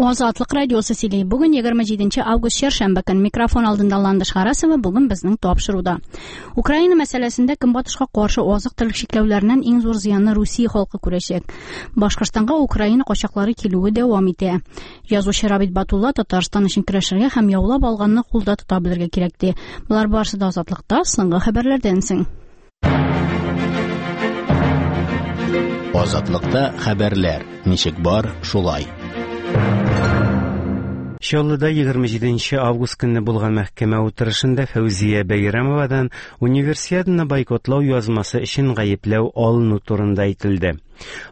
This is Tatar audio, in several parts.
Азатлык радиосы сөйли. Бүген 27 август чәршәмбе көн. Микрофон алдында Ландыш Харасова бүген безнең тапшыруда. Украина мәсьәләсендә Көнбатышка каршы азык-төлек чикләүләреннән иң зур зыянны Русия халкы күрәчәк. Башкортстанга Украина качаклары килүе дәвам итә. Язучы Рабит Батулла Татарстан өчен көрәшергә һәм яулап алганны кулда тота белергә кирәк ди. Болар барысы да Азатлыкта соңгы хәбәрләрдән соң. Азатлыкта хәбәрләр ничек бар, шулай. Чаллыда 27 август көнне булган мәхкәмә утырышында Фәүзия Бәйрәмовадан Универсиаданы бойкотлау язмасы өчен гаепләү алыну турында әйтелде.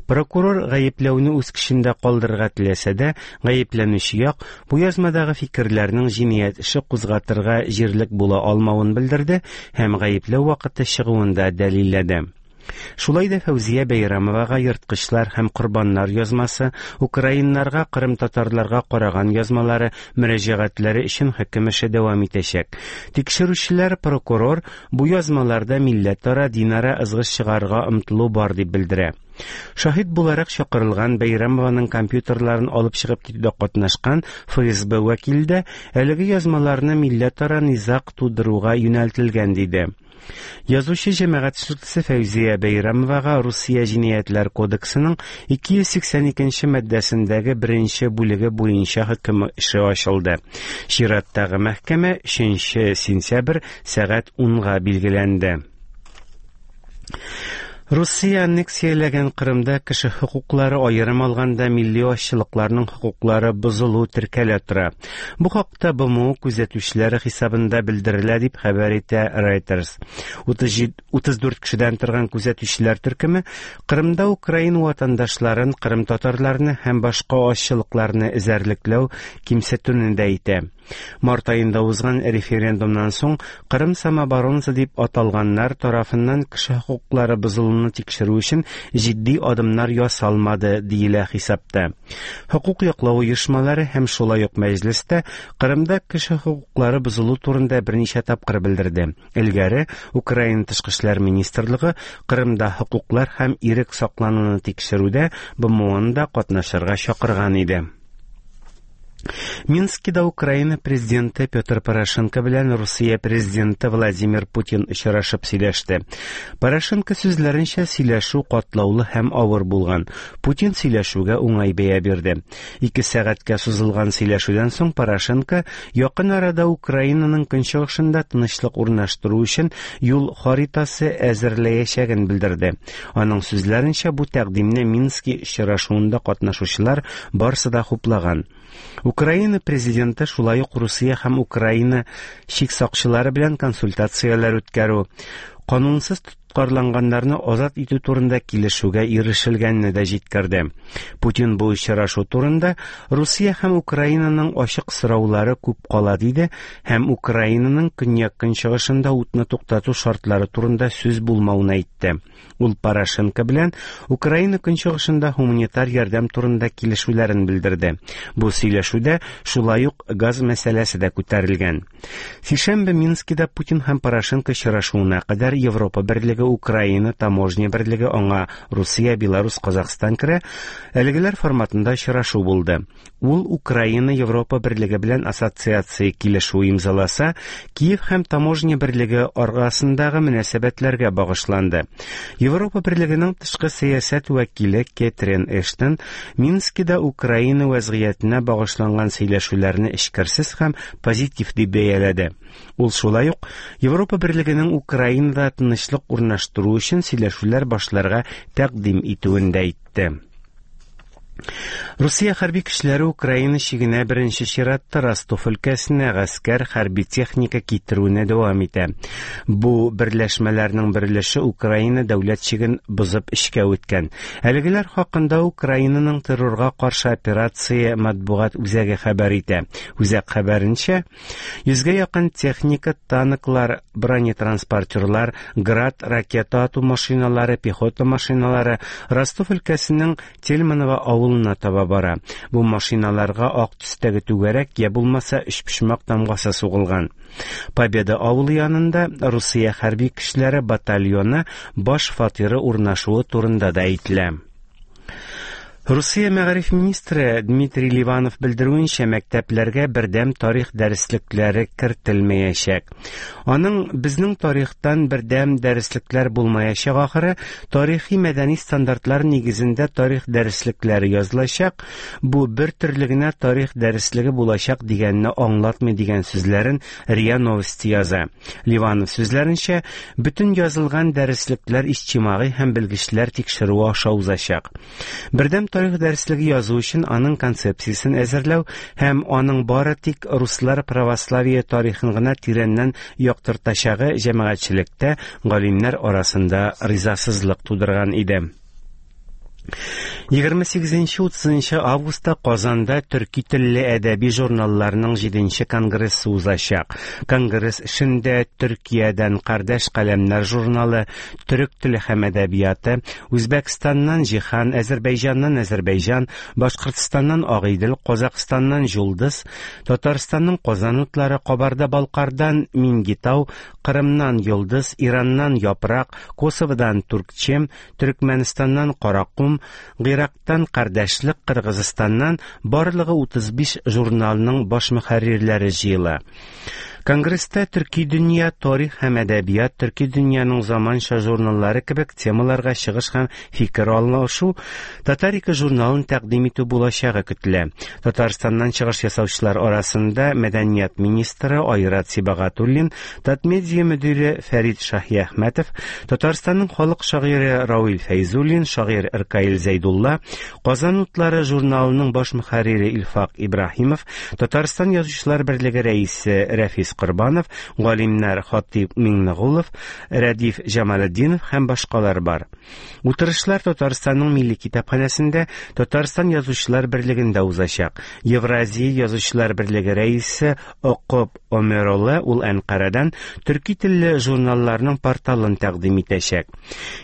Прокурор гаепләүне үз көчендә калдырырга теләсә дә, гаепләнүче як бу язмадагы фикерләрнең җинаять эше кузгатырга җирлек була алмавын белдерде һәм гаепләү вакыты чыгуын да дәлилләде. Шулай да Фәүзия Бәйрәмовага ерткычлар һәм корбаннар язмасы, украиннарга, кырымтатарларга караган язмалары, мөрәҗәгатьләре өчен хөкем эше дәвам итәчәк. Тикшерүчеләр прокурор Бу язмаларда милләтара, динара ызгыш чыгарырга омтылу бар дип белдерә. Шаһит буларак чакырылган Бәйрәмованың компьютерларын алып чыгып китүдә катнашкан ФСБ вәкиле дә әлеге язмаларны милләтара низаг тудыруга юнәлтелгән диде. Язучы җәмәгать эшлеклесе Фәүзия Бәйрәмовага Русия Җинаятьләр кодексының 282 нче маддәсендәге беренче бүлеге буенча хөкем эше ачылды. Чираттагы мәхкәмә 3 сентябрь сәгать унга билгеләнде. Русия аннексияләгән Кырымда кеше хокуклары, аерым алганда милли азчылыкларның хокуклары бозылу теркәлә тора. Бу хакта БМО күзәтүчеләре хисабында белдерелә, дип хәбәр итә Reuters. 34 кешедән торган күзәтүчеләр төркеме Кырымда украин ватандашларын, кырым татарларны һәм башка азчылыкларны эзәрлекләү, кимсетүне дә әйтә. Март аенда узган референдумнан соң Кырым самооборонасы дип аталганнар тарафыннан кеше хокуклары бозылуны тикшерү өчен җитди адымнар ясалмады, диелә хисапта. Хокук яклау оешмалары һәм шулай ук Мәҗлес тә Кырымда кеше хокуклары бозылу турында берничә тапкыр белдерде. Элгәре Украина Тышкы эшләр министрлыгы Кырымда хокуклар һәм ирек саклануны тикшерүдә БМОны да катнашырга чакырган иде. Минскида Украина президенты Петр Порошенко белән Русия президенты Владимир Путин очрашып сөйләште. Порошенко сүзләренчә, сөйләшү катлаулы һәм авыр булган. Путин сөйләшүгә уңай бәя бирде. Ике сәгатькә сузылган сөйләшүдән соң Порошенко якын арада Украинаның көнчыгышында тынычлык урнаштыру өчен юл харитасы әзерләячәген белдерде. Аның сүзләренчә, бу тәкъдимне Мински очрашуында катнашучылар барсы да хуплаган. Украина президенты шулай ук Русия һәм Украина чик сакчылары белән консультацияләр үткәрү, канунсыз тоткарланганнарны азат итү турында килешүгә ирешелгәнне дә җиткерде. Путин бу очрашу турында Русия һәм Украинаның ачык сораулары күп кала диде һәм Украинаның көньяк-көнчыгышында утны туктату шартлары турында сүз булмавын әйтте. Ул Порошенко белән Украина көнчыгышында һуманитар ярдәм турында килешүләрен белдерде. Бу сөйләшүдә шулай ук газ мәсьәләсе дә күтәрелгән. Сишәмбе Минскида Путин һәм Порошенко очрашуына кадәр Европа берлеге, Украина, таможня берлеге, аңа Русия, Беларусь, Казахстан керә, әлегеләр форматында очрашу булды. Ул Украина Европа берлеге белән ассоциация килешүе имзаласа, Киев һәм таможня берлеге арасындагы мөнәсәбәтләргә багышланды. Европа берлегенең тышкы сәясәт вәкиле Кетрин Эштон Минскида Украина вәзгыятенә багышланган сөйләшүләрне эчкерсез һәм позитив дип бәяләде. Ул шулай ук Европа берлегенең Украинада тынычлык урнаштыру өчен сөйләшүләр башларга тәкъдим итүен дә әйтте. Русия хәрби көчләре Украина чигенә беренче чиратта Ростов өлкәсенә гаскәр хәрби техника китерүне дәвам итә. Бу берләшмәләрнең бер өлеше Украина дәүләт чиген бозып эчкә үткән. Әлегеләр хакында Украинаның террорга каршы операция матбугат үзәге хәбәр итә. Үзәк хәбәренчә, Йөзгә якын техника, танклар, бронетранспортерлар, Град ракета ату машиналары, пехота машиналары Ростов өлкәсенең Тельманово авылына таба бара. Бу машиналарга ак төстәге түгәрәк я булмаса өчпочмак тамгасы сугылган. Победа авылы янында Русия хәрби көчләре батальоны баш фатиры урнашуы турында да әйтелә. Русия мәгариф министры Дмитрий Ливанов белдерүенчә, мәктәпләргә бердәм тарих дәреслекләре кертелмәячәк. Аның безнең тарихтан бердәм дәреслекләр булмаячак ахыры, тарихи мәдәни стандартлар нигезендә тарих дәреслекләре язылачак, бу бер төрле генә тарих дәреслеге булачак дигәнне аңлатмый дигән сүзләрен РИА Новости яза. Ливанов сүзләренчә, бөтен язылган дәреслекләр иҗтимагый һәм белгечләр тикшерүе аша узачак. Бердәм тарих дәреслеге язу өчен аның концепциясен әзерләү һәм аның бары тик руслар православие тарихын гына тирәннән яктыртачагы җәмәгатьчелектә галимнәр арасында ризасызлык тудырган иде. 28-30 августта Казанда төрки телле әдәби журналларның 7 конгрессы узачак. Конгресс эшендә Төркиядән Кардәш каләмнәр журналы, Төрек теле һәм әдәбияты, Үзбәкстаннан Җиһан, Әзербәйҗаннан Әзербәйҗан, Башкортстаннан Агыйдел, Казакъстаннан Җулдыз, Татарстанның Казан утлары, Кабарда-Балкардан Мингитау, Кырымнан Йолдыз, Ираннан Япрак, Косоводан Туркчем, Төркмәнстаннан Каракум, Гыйрактан Кардәшлек, Кыргызстаннан барлыгы 35 журналның баш мөхәррирләре җыела. Конгресста Төрки дөнья, тарих һәм әдәбият, Төрки дөньяның заманча журналлары кебек темаларга чыгыш һәм фикер алышу, Татарика журналын тәкъдим итү булачагы көтелә. Татарстаннан чыгыш ясаучылар арасында мәдәният министры Айрат Сибагатуллин, Татмедиа мөдире Фәрит Шаһиәхмәтов, Татарстанның халык шагыйре Равил Фәйзуллин, шагыйрь Ркаил Зәйдулла, Казан утлары журналының баш мөхәррире Илфак Ибраһимов, Татарстан язучылар берлеге рәисе Рәфис Корбанов, галимнәр Хатип Миңнегулов, Рәдиф Җамалетдинов һәм башкалар бар. Утырышлар Татарстанның Милли китапханәсендә, Татарстан язучылар берлегендә узачак. Евразия язучылар берлеге рәисе Окоп Омеролы ул Әнкарадан төрки телле журналларның порталын тәкъдим итәчәк.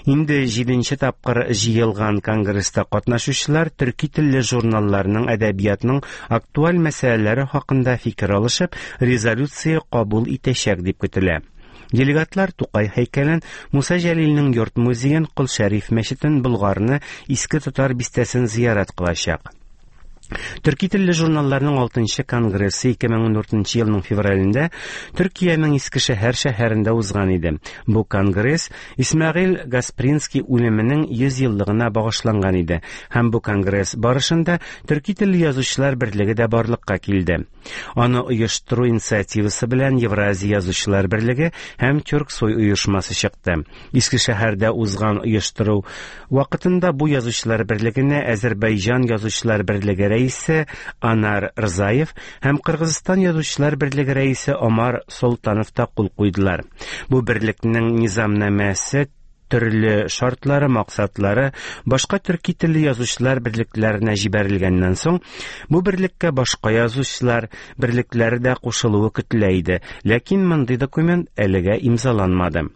Инде 7 тапкыр җыелган конгресста катнашучылар төрки телле журналларның әдәбиятның актуаль мәсьәләләре хакында фикер алышып, резолюция кабул итәчәк дип көтелә. Делегатлар Тукай һәйкәлен, Муса Җәлилнең йорт музеен, Кол Шәриф мәчетен, Болгарны, Иске Татар бистәсен зиярат кылачак. Төрки телле журналларның 6 конгрессы 2014 елның февралендә Төркиянең Искешәһәр шәһәрендә узган иде. Бу конгресс Исмәгыйль Гаспринский үлеменең 100 еллыгына багышланган иде һәм бу конгресс барышында Төрки телле язучылар берлеге дә барлыкка килде. Аны оештыру инициативасы белән Евразия язучылар берлеге һәм Тюрксой оешмасы чыкты. Искешәһәрдә узган оештыру вакытында бу язучылар берлегенә Әзербәйҗан язучылар берлеге рәисе Анар Рзаев һәм Кыргызстан язучылар берлеге рәисе Омар Солтанов та кул куйдылар. Бу берлекнең низамнамәсе төрле шартлары, максатлары башка төрки телле язучылар берлекләренә җибәрелгәннән соң, бу берлеккә башка язучылар берлекләре дә кушылуы көтелә иде. Ләкин мондый документ әлегә имзаланмады.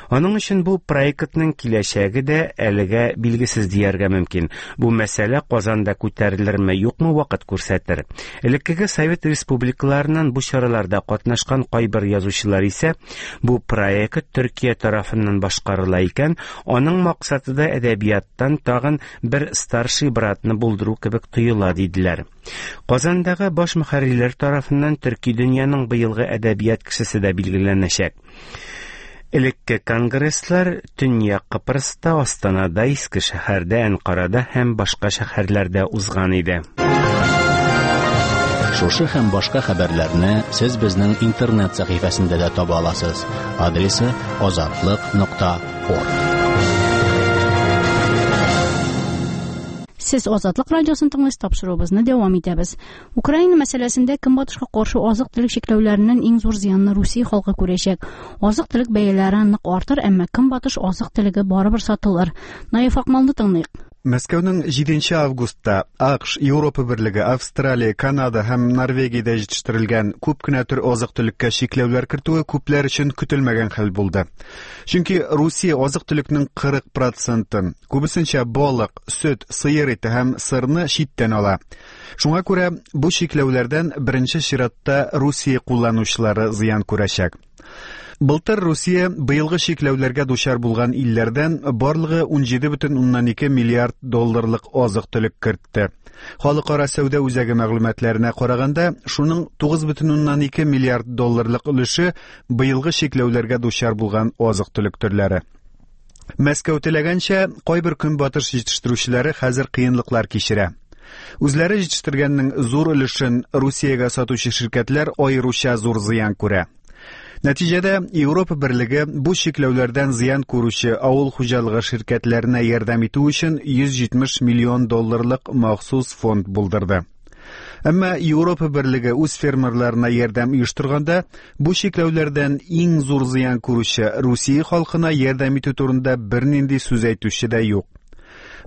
Аның өчен бу проектның киләчәге дә әлегә билгесез дияргә мөмкин. Бу мәсьәлә Казанда күтәрелерме, юкмы вакыт күрсәтер. Элеккеге Совет республикаларыннан бу чараларда катнашкан кайбер язучылар исә бу проект Төркия тарафыннан башкарыла икән, аның максаты да әдәбияттан тагын бер старший братны булдыру кебек тоела диделәр. Казандагы баш мөхәррирләр тарафыннан төрки дөньяның быелгы әдәбият кешесе дә билгеләнәчәк. Элекке конгресслар Төньяк Кыпрыста, Астанада, Искешәһәрдә, Әнкарада һәм башка шәһәрләрдә узган иде. Шушы һәм башка хәбәрләрне сез безнең интернет сәхифәсендә дә таба аласыз. Адресы azatliq.org. Сез Азатлык радиосын тыңлыйсыз, тапшыруыбызны дәвам итәбез. Украина мәсьәләсендә Көнбатышка каршы азык-төлек чикләүләреннән иң зур зыянны Русия халкы күрәчәк. Азык-төлек бәяләре нык артыр, әмма Көнбатыш азык-төлеге барыбер сатылыр. Наиф Акмалны тыңлыйк. Мәскәүнең 7 августта АКШ, Европа берлеге, Австралия, Канада һәм Норвегиядә җитештерелгән күп кенә төр азык-төлеккә чикләүләр кертүе күпләр өчен көтелмәгән хәл булды. Чөнки Русия азык-төлекнең 40%-ын, күбесенчә балык, сөт, сыер ите һәм сырны читтән ала. Шуңа күрә бу чикләүләрдән беренче чиратта Русия кулланучылары зыян күрәчәк. Былтыр Русия быелгы чикләүләргә дучар булган илләрдән барлыгы 17,2 миллиард долларлык азык-төлек кертте. Халыкара сәүдә үзәге мәгълүматларына караганда, шуның 9,2 миллиард долларлык өлеше быелгы чикләүләргә дучар булган азык-төлек төрләре. Мәскәү теләгәнчә, кайбер көнбатыш җитештерүчеләре хәзер кыенлыклар кичерә. Үзләре җитештергәннең зур өлешен Русиягә сатучы ширкәтләр аеруча зур зыян күрә. Нәтиҗәдә Европа берлеге бу чикләүләрдән зыян күрүче авыл хуҗалыгы ширкәтләренә ярдәм итү өчен 170 миллион долларлык махсус фонд булдырды. Әмма Европа берлеге үз фермерларына ярдәм оештырганда, бу чикләүләрдән иң зур зыян күрүче Русия халкына ярдәм итү турында бернинди сүз әйтүче дә юк.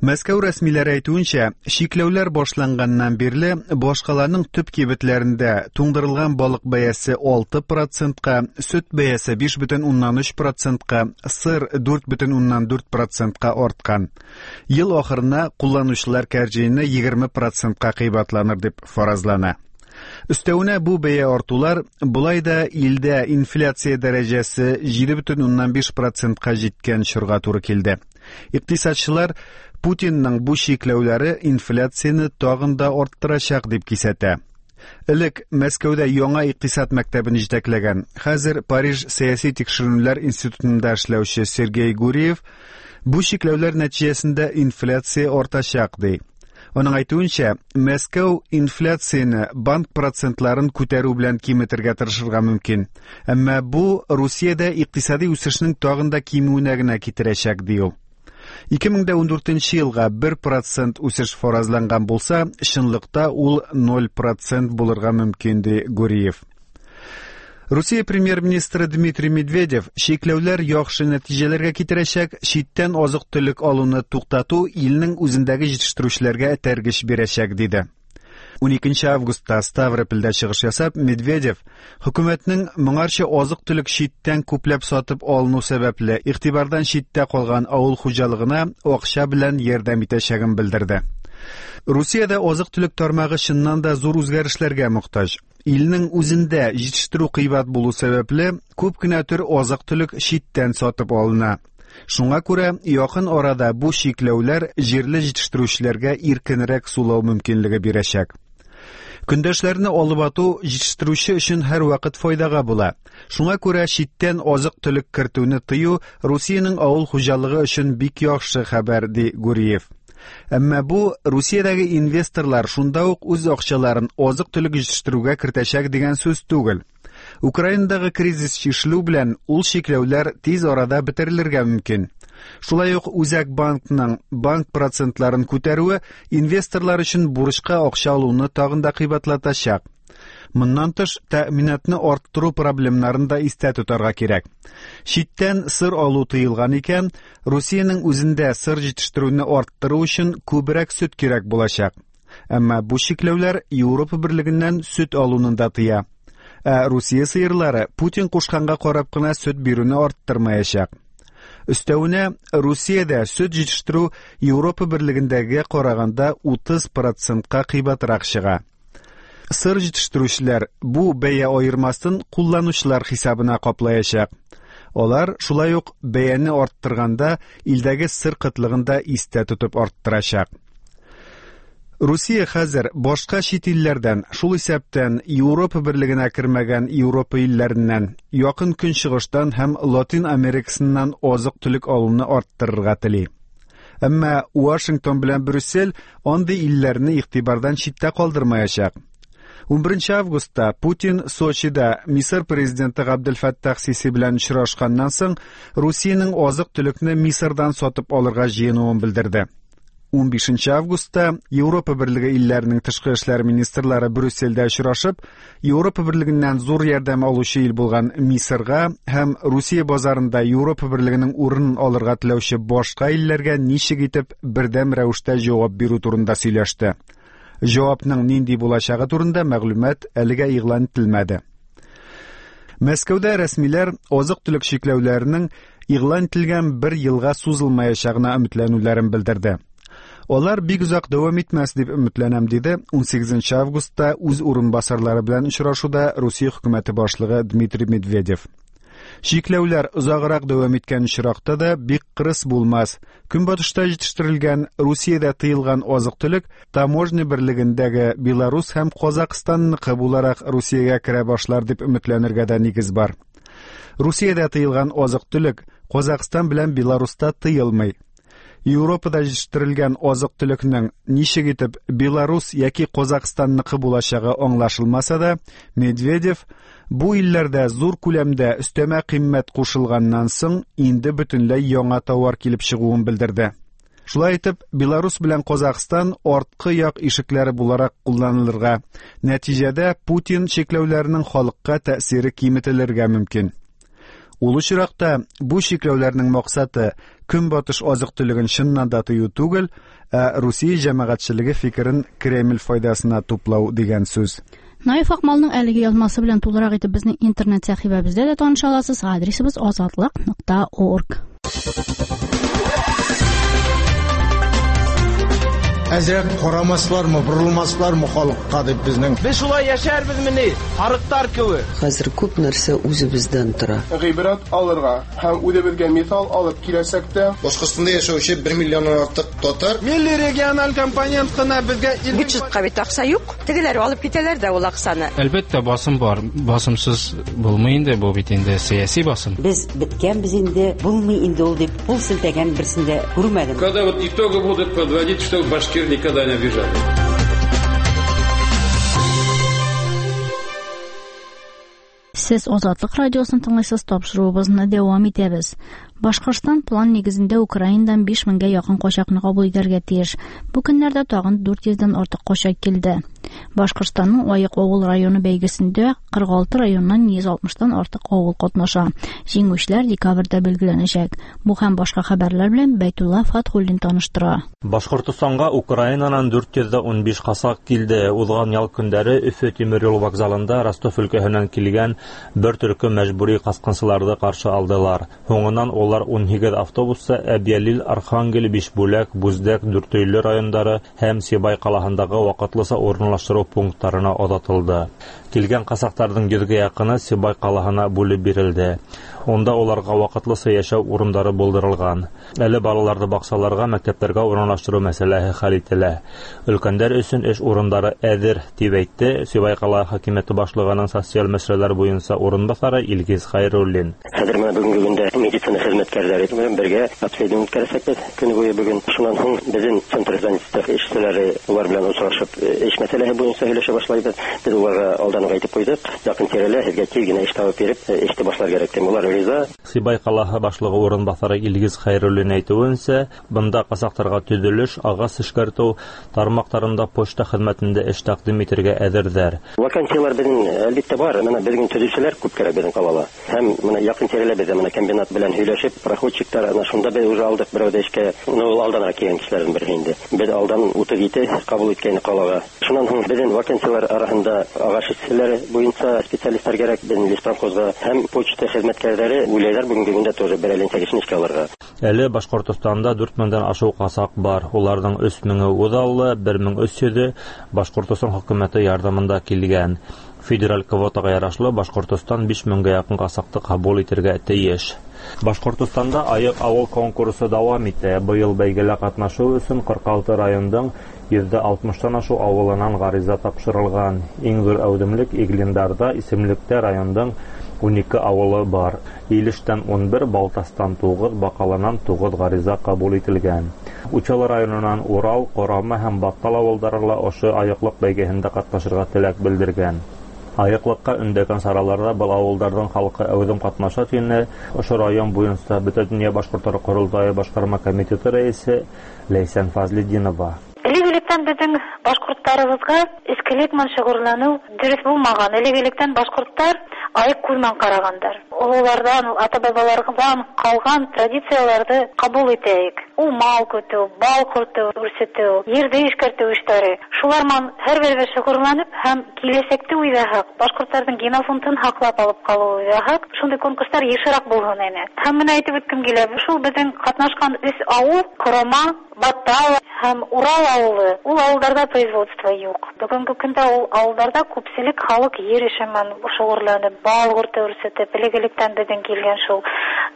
Мәскәү рәсмиләре әйтүенчә, чикләүләр башланганнан бирле башкаланың төп кибетләрендә туңдырылган балык бәясе 6%-ка, сөт бәясе 5,3%-ка, сыр 4,4%-ка арткан. Ел ахырына кулланучылар кәрҗине 20%-ка кыйбатланыр дип фаразлана. Өстәвенә бу бәя артулар болай да илдә инфляция дәрәҗәсе 7,5%-ка җиткән чорга туры килде. Икътисадчылар Путинның бу чикләүләре инфляцияне тагын да арттырачак дип кисәтә. Элек Мәскәүдә яңа икътисад мәктәбен җитәкләгән, хәзер Париж сәяси тикшеренүләр институтында эшләүче Сергей Гуриев бу чикләүләр нәтиҗәсендә инфляция артачак ди. Аның әйтүенчә, Мәскәү инфляцияне банк процентларын күтәрү белән киметергә тырышырга мөмкин. Әмма бу Русиядә икътисади үсешнең тагын да кимүенә генә китерәчәк, ди ул. 2014 елга 1% үсеш фаразланган булса, чынлыкта ул 0% булырга мөмкин, ди Гуриев. Русия премьер-министры Дмитрий Медведев чикләүләр яхшы нәтиҗәләргә китерәчәк, читтән азык-төлек алуны туктату илнең үзендәге җитештерүчеләргә этәргеч бирәчәк, диде. 12 августта Ставропольдә чыгыш ясап, Медведев хөкүмәтнең моңарчы азык-төлек читтән күпләп сатып алыну сәбәпле игътибардан читтә калган авыл хуҗалыгына акча белән ярдәм итәчәген белдерде. Русиядә азык-төлек тармагы чыннан да зур үзгәрешләргә мохтаҗ. Илнең үзендә җитештерү кыйбат булу сәбәпле, күп кенә төр азык-төлек читтән сатып алына. Шуңа күрә якын арада бу чикләүләр җирле җитештерүчеләргә иркенрәк сулау мөмкинлеге бирәчәк. Көндәшләрне алып ату җитештерүче өчен һәрвакыт файдага була. Шуңа күрә читтән азык-төлек кертүне тыю Русиянең авыл хуҗалыгы өчен бик яхшы хәбәр, ди Гуриев. Әмма бу Русиядәге инвесторлар шунда ук үз акчаларын азык-төлек җитештерүгә кертәчәк дигән сүз түгел. Украинадагы кризис чишелү белән ул чикләүләр тиз арада бетерелергә мөмкин. Шулай ук Үзәк банкның банк процентларын күтәрүе инвесторлар өчен бурычка акча алуны тагын да кыйбатлатачак. Моннан тыш, тәэминатны арттыру проблемнарын да истә тотарга кирәк. Читтән сыр алу тыелган икән, Русиянең үзендә сыр җитештерүне арттыру өчен күбрәк сөт кирәк булачак. Әмма бу чикләүләр Европа берлегеннән сөт алуны да тыя. Ә Русия сыерлары Путин кушканга карап кына сөт бирүне арттырмаячак. Өстәвенә, Русиядә сөт җитештерү Европа берлегендәгегә караганда 30%-ка кыйбатрак чыга. Сыр җитештерүчеләр бу бәя аермасын кулланучылар хисабына каплаячак. Алар шулай ук бәяне арттырганда илдәге сыр кытлыгын да истә тотып арттырачак. Русия хәзер башка чит илләрдән, шул исәптән Европа берлегенә кермәгән Европа илләреннән, Якын Көнчыгыштан һәм Латин Америкасыннан азык-төлек алуны арттырырга тели. Әмма Вашингтон белән Брюссель андый илләрне игътибардан читтә калдырмаячак. 11 августта Путин Сочида Мисыр президенты Габделфәттах Сиси белән очрашканнан соң Русиянең азык-төлекне Мисырдан сатып алырга җыенуын белдерде. 15 августта Европа Берлеге илләренең тышкы эшләр министрлары Брюссельдә очрашып, Европа Берлегеннән зур ярдәм алучы ил булган Мисырга һәм Русия базарында Европа Берлегенең урынын алырга теләүче башка илләргә ничек итеп бердәм рәвештә җавап бирү турында сөйләште. Җавапның нинди булачагы турында мәгълүмат әлегә игълан ителмәде. Мәскәүдә рәсмиләр азык-төлек чикләүләренең игълан ителгән бер елга сузылмаячагына өметләнүләрен белдерде. Алар бик озак дәвам итмәс дип өметләнәм, диде 18 августта үз урынбасарлары белән очрашуда Русия хөкүмәте башлыгы Дмитрий Медведев. Чикләүләр озаграк дәвам иткән очракта да бик кырыс булмас. Көнбатышта җитештерелгән, Русиядә тыелган азык-төлек таможня берлегендәге Беларус һәм Казакъстанныкы буларак Русиягә керә башлар дип өметләнергә дә нигез бар. Русиядә тыелган азык-төлек Казакъстан белән Беларуста тыелмый. Европада җитештерелгән азык-төлекнең ничек итеп Беларус яки Казакъстанныкы булачагы аңлашылмаса да, Медведев бу илләрдә зур күләмдә өстәмә кыйммәт кушылганнан соң инде бөтенләй яңа товар килеп чыгуын белдерде. Шулай итеп, Беларус белән Казакъстан арткы як ишекләре буларак кулланылырга, нәтиҗәдә Путин чикләүләренең халыкка тәэсире киметелергә мөмкин. Ул очракта бу чикләүләрнең максаты көнбатыш азык-төлеген чыннан да тыю түгел, ә Русия җәмәгатьчелеге фикерен Кремль файдасына туплау дигән сүз. Наиф Акмалның әлеге язмасы белән тулырак итеп безнең интернет сәхифәбездә дә таныша аласыз. Адресыбыз azatliq.org. Әзрәк карамаслармы, борылмаслармы халыкка дип безнең. Без шулай яшәрбезмени, арыктар кебек. Хәзер күп нәрсә үзебездән тора. Гыйбрәт алырга һәм үзебезгә мисал алып киләчәктә Башкортстанда яшәүче 1 миллионнан артык татар милли региональ компонент кына безгә Бюджетка бит акча юк. Тегеләр алып китәләр дә ул акчаны. Әлбәттә, басым бар. Басымсыз булмый инде, бу бит инде сәяси басым. Без беткәнбез инде, булмый инде ул дип кул селтәгән берсен дә күрмәдем. Когда вот итоги будут подводить, что башкир никогда не обижали. Сез Азатлык радиосын тыңлыйсыз, тапшыруыбызны дәвам итәбез. Башкортстан план нигезендә Украинадан 5000гә якын качакны кабул итәргә тиеш. Бу көннәрдә тагын 400дән артык качак килде. Башкортстанның Аек авыл районы бәйгесендә 46 районнан 160тан артык авыл катнаша. Җиңүчеләр декабрьдә билгеләнәчәк. Бу һәм башка хәбәрләр белән Бәйтулла Фатхуллин таныштыра. Башкортостанга Украинадан 415 касак килде. Узган ял көндәре Өфө тимер юл вокзалында Ростов өлкәһеннән килгән бер төркем мәҗбүри каскынчыларны каршы алдылар. Һуңыннан улар 18 автобуста Әбйәлил, Архангел, Бишбүләк, Бүздәк, Дүртөйле райондары һәм Сибай калаһындагы вакытлыча урынлаштыру пунктларына озатылды. Килгән касактарның 100гә якыны Сибай калаһына бүлеп бирелде. Унда уларга вакытлыча яшәү урындары булдырылган. Әле балаларны бакчаларга, мәктәпләргә урынлаштыру мәсьәләһе хәл ителә. Өлкәннәр өчен эш урындары әзер, дип әйтте Сибай кала хакимияте башлыгының социаль мәсьәләләр буенча урынбасары Илгиз Хайруллин. Хәзер менә бүгенге көндә медицина хезмәткәрләре белән бергә обследование үткәрәчәкбез көне буе бүген. Шуннан соң безнең центр занятости эшчеләре улар белән очрашып эш мәсьәләһе буенча сөйләшә башлайбыз. Без уларга алдан ук әйтеп куйдык, якын тирәлә һеҙгә тиҙ генә эш табып биреп, эште башлар кәрәк тим. Улар риза. Сибай ҡалаһы башлығы урынбаҫары Илгиз Хәйруллин әйтеүенсә, бында ҡасаҡтарға төҙөлөш, ағас эшкәртеү тармаҡтарында почта хеҙмәтендә эш тәҡдим итергә әҙерҙәр. Вакансиялар беҙҙең әлбиттә бар. Мына беҙҙең төҙөүселәр күп кәрәк беҙҙең ҡалала. Һәм мына яҡын тирәлә беҙҙә мына комбинат белән һөйләшеп, проходчиктар, ана шунда беҙ уже алдыҡ берәүҙе эшкә. Ну, ул алданыраҡ килгән кешеләрҙең береһе инде. Беҙ алдан 37 ҡабул иткәйнек ҡалаға. Шунан һуң беҙҙең вакансиялар араһында ағас эшселәре буйынса специалисттар кәрәк беҙҙең леспромхозға һәм почта хеҙмәткәрҙәре уйлайҙар бөгөнгө көндә тоже берәй кешене эшкә алырға. Әле Башҡортостанда 4000-дән ашыу ҡасаҡ бар. Уларҙың 3000-е үҙаллы, 1300-е Башҡортостан хөкүмәте ярҙамында килгән. Федераль квотаға ярашлы Башҡортостан 5000-гә яҡын ҡасаҡты ҡабул итергә тейеш. Башҡортостанда Айыҡ ауыл конкурсы дауам итә. Быйыл бәйгелә ҡатнашыу өсөн 46 райондың 60-тан ашыу ауылынан ғариза тапшырылған. Иң ҙур әүҙемлек Иглиндарҙа, исемлектә райондың 12 ауылы бар. Илештән 11, Балтастан 9, Баҡалынан 9 ғариза ҡабул ителгән. Учалы районынан Урал, Ҡорама һәм Баттал ауылдары ла ошо айыҡлыҡ бәйгеһендә ҡатнашырға теләк белдергән. Айыҡлыҡҡа өндәгән сараларҙа был ауылдарҙың халҡы әүҙем ҡатнаша тине ошо район буйынса Бөтә донъя башҡорттары ҡоролтайы башҡарма комитеты рәйесе Ләйсән Фазлетдинова. Элек-электән беҙҙең башҡорттарыбыҙға эскелек менән шөғөлләнеү дөрөҫ булмаған. Элек-электән башҡорттар айыҡ күҙ менән ҡарағандар. Ололарҙан, ата-бабаларҙан ҡалған традицияларҙы ҡабул итәйек. Ул мал көтөү, бал ҡорто үрсетеү, ерҙе эшкәртеү эштәре. Шулар менән һәр беребеҙ шөғөлләнеп һәм киләсәкте уйлаһаҡ, башҡорттарҙың генофондын һаҡлап алып ҡалыу уйлаһаҡ, шундай конкурстар йышыраҡ булһын ине. Һәм бына әйтеп үткем килә, шул беҙҙең ҡатнашҡан өс ауыл, Ҡорома, Баттал һәм Урал ауылы, ул ауылдарҙа производство юҡ. Бөгөнгө көндә ул ауылдарҙа күпселек халыҡ ер эше менән шөғөлләнеп, бал ҡорто үрсетеп, элек-электән Элек-электән безнең килгән шул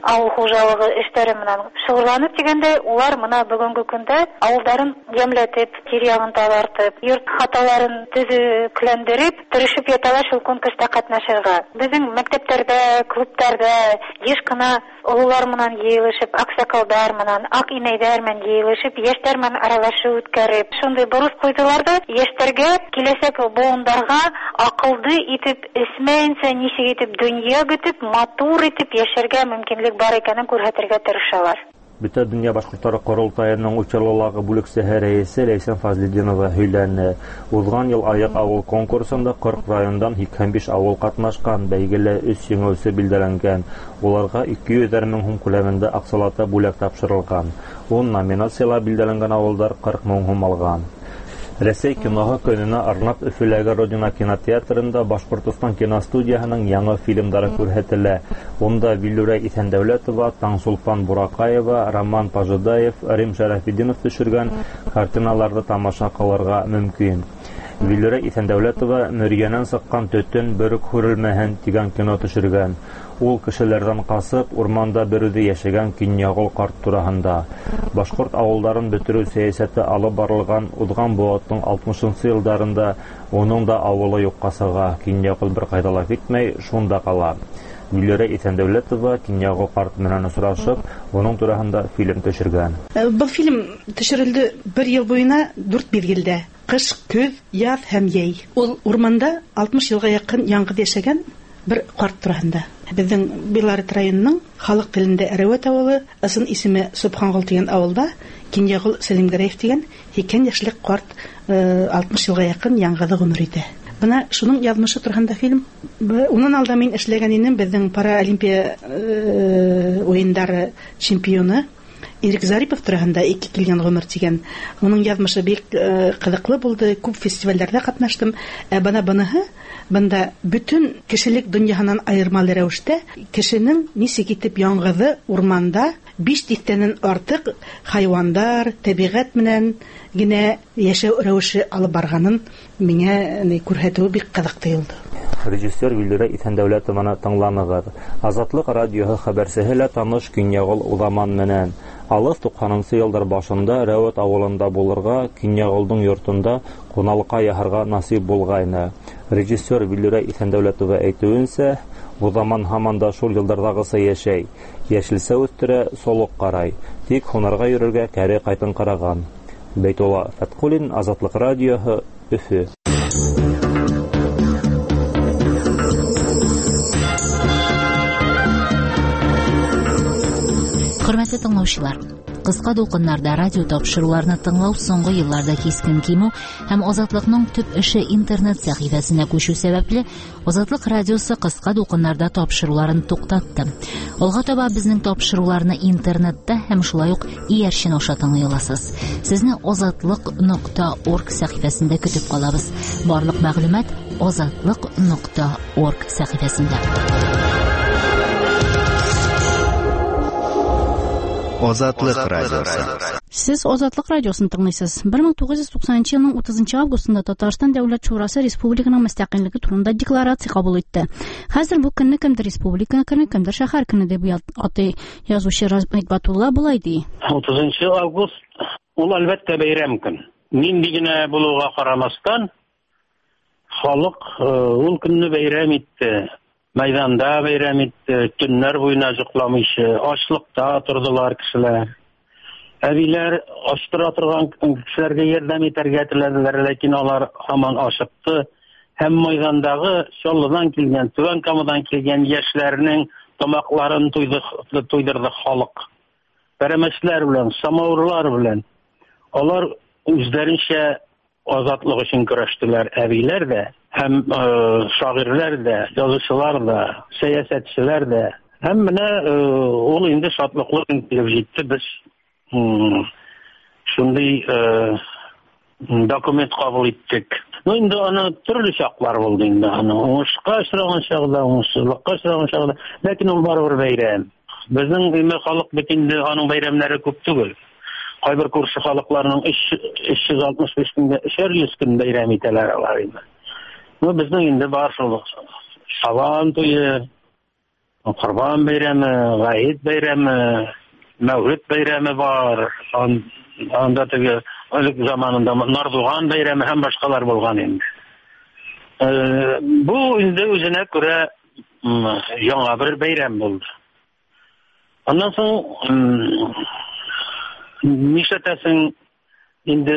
авыл хуҗалыгы эшләре менән шөгыльләнеп дигәндәй, улар менә бүгенге көндә авылдарын ямьләтеп, тирә-ягын тазартып, йорт хаталарын төзекләндереп, тырышып яталар шул конкурста катнашырга. Безнең мәктәпләрдә, клубларда еш кына олылар менән җыелышып, аксакалдар менән, ак инәйләр менән җыелышып, яшьләр менән аралашу үткәреп, шундый бурыс куйдылар да, яшьләргә, киләчәк буындарга акылды итеп, эсмәенчә ничек итеп дөнья көтеп, матур итеп яшәргә мөмкинлек бар икәнен күрсәтергә тырышалар. Бөтә дөнья башкортлары корылтаеның Учалылагы бүлексәһе рәисе Ләйсән Фазлетдинова һөйләне. Узган ел Аяк авыл конкурсында 40 райондан 85 авыл катнашкан, бәйгелә өч җиңүче билгеләнгән. Уларга 200 мең һум күләмендә акчалата бүләк тапшырылган. 10 номинациялар билгеләнгән авылдар 40 мең һум алган. Рәсәй киноһы көненә арнап Өфөләге Родина кинотеатрында Башкортостан киностудияһының яңы фильмдары күрһәтелә. Унда Виллүрә Иҫәндәүләтова, Таңсулпан Буракаева, Роман Пожидаев, Рим Шәрәфетдинов төшергән картиналарҙы тамаша ҡылырға мөмкин. Виллүрә Иҫәндәүләтова Мөрйәнән сыҡҡан төтөн бер үк һүрелмәһен тигән кино төшөргән. Ул кешеләрҙән ҡасып, урманда бер үҙе йәшәгән Кинйәғол ҡарт тураһында. Башҡорт ауылдарын бөтөрөү сәйәсәте алып барылған уҙған быуаттың 60-нсы йылдарында уның да ауылы юҡҡа сыға. Кинйәғол бер ҡайҙа ла китмәй, шунда ҡала. Гөлләрә Иҫәндәүләтова Кинйәғол ҡарт менән осрашып, уның тураһында фильм төшөргән. Был фильм төшөрөлдө бер йыл буйына 4 миҙгелдә. Ҡыш, көҙ, яҙ һәм йәй. Ул урманда 60 йылға яҡын яңғыҙ йәшәгән бер ҡарт тураһында. Беҙҙең Белорет районының халыҡ телендә Әреүәт ауылы, ысын исеме Собханғол тигән ауылда Кинйәғол Сәлимгәрәев тигән 80 йәшлек ҡарт 60 йылға яҡын яңғыҙы ғүмер итә. Бына шуның яҙмышы тураһында фильм. Унан алда мин эшләгән инем, беҙҙең Паралимпия уйындары чемпионы Ирек Зарипов тураһында Ике килгән ғүмер тигән. Уның яҙмышы бик ҡыҙыҡлы булды, күп фестивальдәрҙә ҡатнаштым. Ә бына быныһы, бында бөтөн кешелек донъяһынан айырмалы рәүештә кешенең нисек итеп яңғыҙы урманда 5 тиҫтәнән артыҡ хайуандар, тәбиғәт менән генә йәшәү рәүеше алып барғанын миңә күрһәтеүе бик ҡыҙыҡ тойолдо. Режиссер Виллүрә Иҫәндәүләтованы тыңланығыҙ. Азатлыҡ радиоһы хәбәрсеһе лә таныш Кинйәғол Уҙаман менән. Алыҫ 90-нсы йылдар башында Рәүәт ауылында булырға, Кинйәғолдоң йортонда ҡуналыҡҡа яһарға насип булғайны. Режиссер Виллүрә Иҫәндәүләтова әйтеүенсә, Уҙаман һаман да шул йылдарҙағыса йәшәй. Йәшелсә үҫтерә, солоҡ ҡарай. Тик һунарға йөрөргә кәре ҡайтыңҡыраған. Бәйтулла Фәтҡуллин, Азатлыҡ радиоһы, Өфө. Хөрмәтле тыңлаучылар, кыска дулкыннарда радио тапшыруларны тыңлау соңгы елларда кискен кимү һәм Азатлыкның төп эше интернет сәхифәсенә күчү сәбәпле, Азатлык радиосы кыска дулкыннарда тапшыруларын туктатты. Алга таба безнең тапшыруларны интернетта һәм шулай ук иярчен аша тыңлый аласыз. Сезне azatliq.org сәхифәсендә көтеп калабыз. Барлык мәгълүмат azatliq.org сәхифәсендә. Азатлык радиосы. Сез Азатлык радиосын тыңлыйсыз. 1990 елның 30 августында Татарстан Дәүләт Шурасы республиканың мөстәкыйльлеге турында декларация кабул итте. Хәзер бу көнне кемдер республика көне, кемдер шәһәр көне дип атый. Язучы Размит Батулла болай ди. 30 август ул әлбәттә бәйрәм көн. Нинди генә булуга карамастан, халык ул көнне бәйрәм итте. Майданда бәйрәм итте, төннәр буена йокламыйча, ачлыкта тордылар кешеләр. Әбиләр ач тора торган кешеләргә ярдәм итәргә теләделәр, ләкин алар һаман ашыкты. Һәм майдандагы Чаллыдан килгән, Түбән Камадан килгән яшьләрнең тамакларын туйдырды халык. Пәрәмәчләр белән, самавырлар белән. Алар үзләренчә азатлык өчен көрәштеләр, әбиләр дә, һәм шагыйрьләр дә, язучылар да, сәясәтчеләр дә. Һәм менә ул инде шатлыклы көн килеп җитте. Без шундый документ кабул иттек. Ну инде аны төрле чаклар булды инде. Аны уңышка очраган чагында, уңышсызлыкка очраган чагында, ләкин ул барыбер бәйрәм. Безнең өймә халык бит инде аның бәйрәмнәре күп түгел. Кайбер күрше халыкларның 365 көнгә 300 көн бәйрәм итәләр алар инде. Ну, безнең инде бар шул Сабан туе, Корбан бәйрәме, Гает бәйрәме, Мәүлид бәйрәме бар. Анда теге элек заманында Нардуган бәйрәме һәм башкалар булган инде. Бу инде үзенә күрә яңа бер бәйрәм булды. Аннан соң нишләтәсең инде,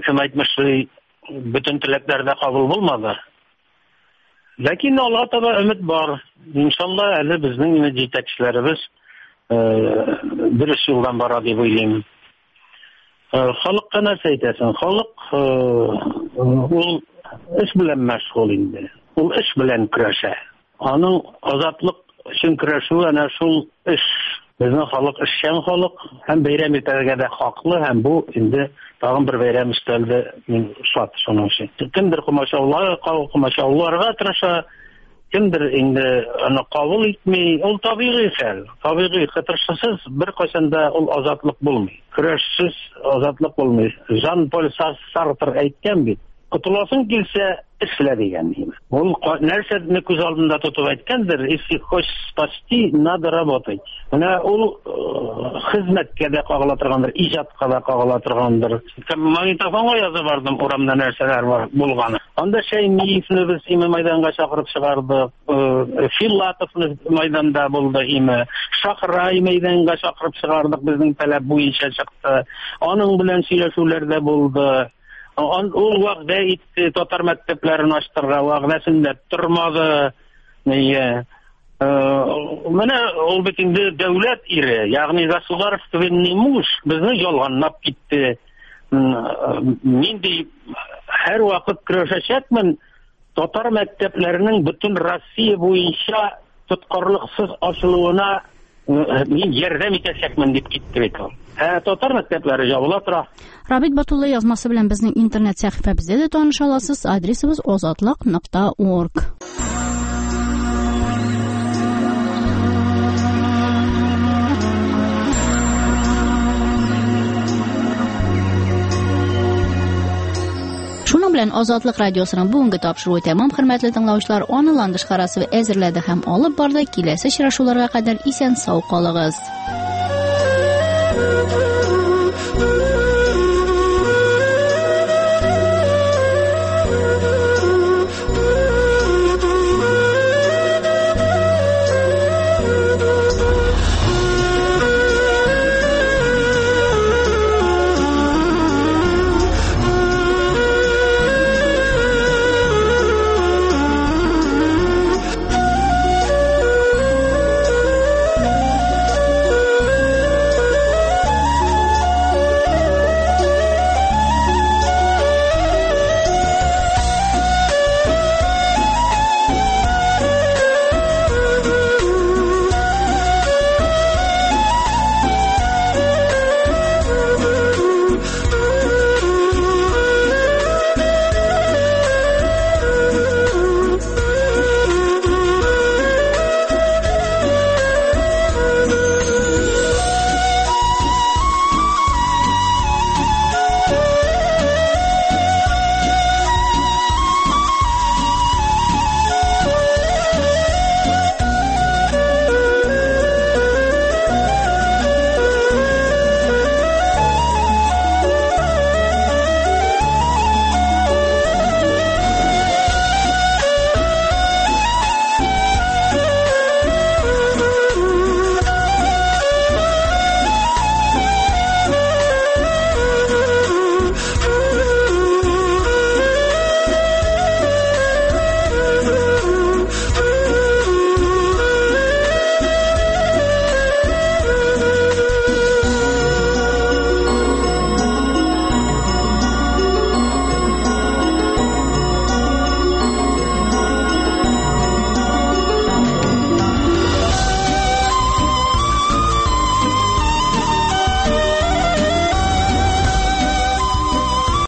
кем әйтмешли, бөтен теләкләр дә кабул булмады. Ләкин алга таба өмет бар. Иншалла, әле безнең инде җитәкчеләребез дөрес юлдан бара дип уйлыйм. Халыкка нәрсә әйтәсең? Халык ул эш белән мәшгуль инде. Ул эш белән көрәшә. Аның азатлык өчен көрәшүе әнә шул эш. Безнең халык эшчән халык һәм бәйрәм итәргә дә хаклы һәм бу инде тагын бер бәйрәм өстәлде. Мин шат шуның өчен. Кемдер комачауларга тырыша, кемдер инде аны кабул итми. Ул табигый хәл. Табигый кытыршысыз беркайчан да ул азатлык булмый. Көрәшсез азатлык булмый. Жан-Поль Сартр әйткән бит. Котыласың килсә, эшлә дигән. Ул нәрсәне күз алдында тотып әйткәндер, если хочешь спасти, надо работать. Менә ул хезмәткә дә кагыла торгандыр, иҗатка да кагыла торгандыр. Магнитофонга язып бардым, урамда нәрсәләр бар булганы. Анда Шәймиевне без име майданга чакырып чыгардык, Филатовны майданда булды име, Шахрай мәйданга чакырып чыгардык, безнең таләп буенча чыкты. Аның белән сөйләшүләр дә булды. Ул вәгъдә итте татар мәктәпләрен ачтырырга, вәгъдәсендә тормады. Нигә? Менә ул бит инде дәүләт ире, ягъни государственный муж безне ялганлап китте. Нинди һәр вакыт көрәшәчәкмен татар мәктәпләренең бөтен Россия буенча тоткарлыксыз ачылуына мин ярдәм итәчәкмен дип китте бит ул. Ә татар мәктәпләре ябыла тора. Рабит Батулла язмасы белән безнең интернет сәхифәбездә дә таныша аласыз. Адресыбыз озатлык.орг. Шуның белән Азатлык радиосының бүгенге тапшыруы тәмам, хөрмәтле тыңлаучылар. Аны Ландыш Харасова әзерләде һәм алып барды. Киләсе очрашуларга кадәр исән сау калыгыз.